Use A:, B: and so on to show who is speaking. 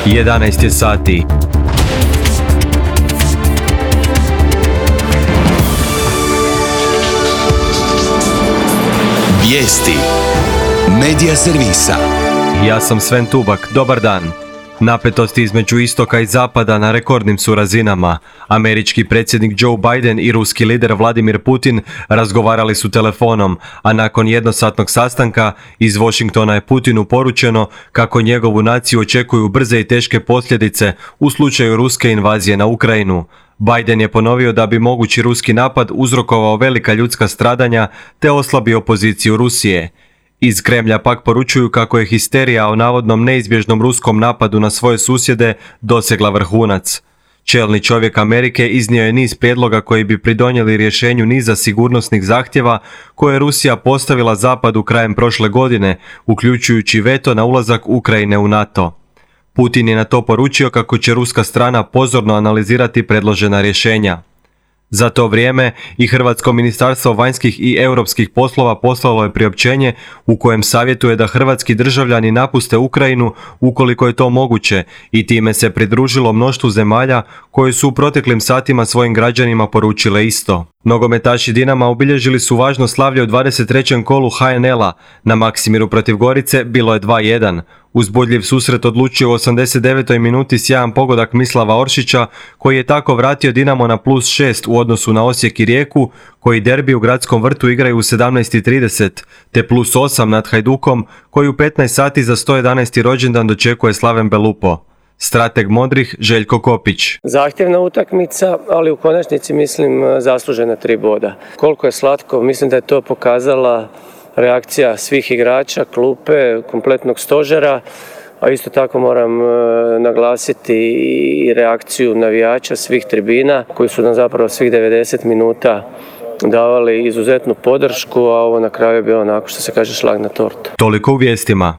A: 11 je sati.
B: Vijesti Medija servisa.
A: Ja sam Sven Tubak, dobar dan. Napetosti između istoka i zapada na rekordnim su razinama. Američki predsjednik Joe Biden i ruski lider Vladimir Putin razgovarali su telefonom, a nakon jednosatnog sastanka iz Washingtona je Putinu poručeno kako njegovu naciju očekuju brze i teške posljedice u slučaju ruske invazije na Ukrajinu. Biden je ponovio da bi mogući ruski napad uzrokovao velika ljudska stradanja te oslabio poziciju Rusije. Iz Kremlja pak poručuju kako je histerija o navodnom neizbježnom ruskom napadu na svoje susjede dosegla vrhunac. Čelni čovjek Amerike iznio je niz prijedloga koji bi pridonijeli rješenju niza sigurnosnih zahtjeva koje je Rusija postavila Zapadu krajem prošle godine, uključujući veto na ulazak Ukrajine u NATO. Putin je na to poručio kako će ruska strana pozorno analizirati predložena rješenja. Za to vrijeme i Hrvatsko ministarstvo vanjskih i europskih poslova poslalo je priopćenje u kojem savjetuje da hrvatski državljani napuste Ukrajinu ukoliko je to moguće i time se pridružilo mnoštvu zemalja koje su u proteklim satima svojim građanima poručile isto. Nogometaši Dinama obilježili su važno slavlje u 23. kolu HNL-a. Na Maksimiru protiv Gorice bilo je 2:1. Uzbudljiv susret odlučio u 89. minuti sjajan pogodak Mislava Oršića, koji je tako vratio Dinamo na +6 u odnosu na Osijek i Rijeku, koji derbi u Gradskom vrtu igraju u 17:30, te +8 nad Hajdukom, koji u 15 sati za 111. rođendan dočekuje Slaven Belupo. Strateg modrih Željko Kopić.
C: Zahtjevna utakmica, ali u konačnici mislim zaslužena 3 boda. Koliko je slatko, mislim da je to pokazala reakcija svih igrača, klupe, kompletnog stožera, a isto tako moram naglasiti i reakciju navijača svih tribina koji su nam zapravo svih 90 minuta davali izuzetnu podršku, a ovo na kraju je bilo onako što se kaže šlag na tortu.
A: Toliko u vijestima.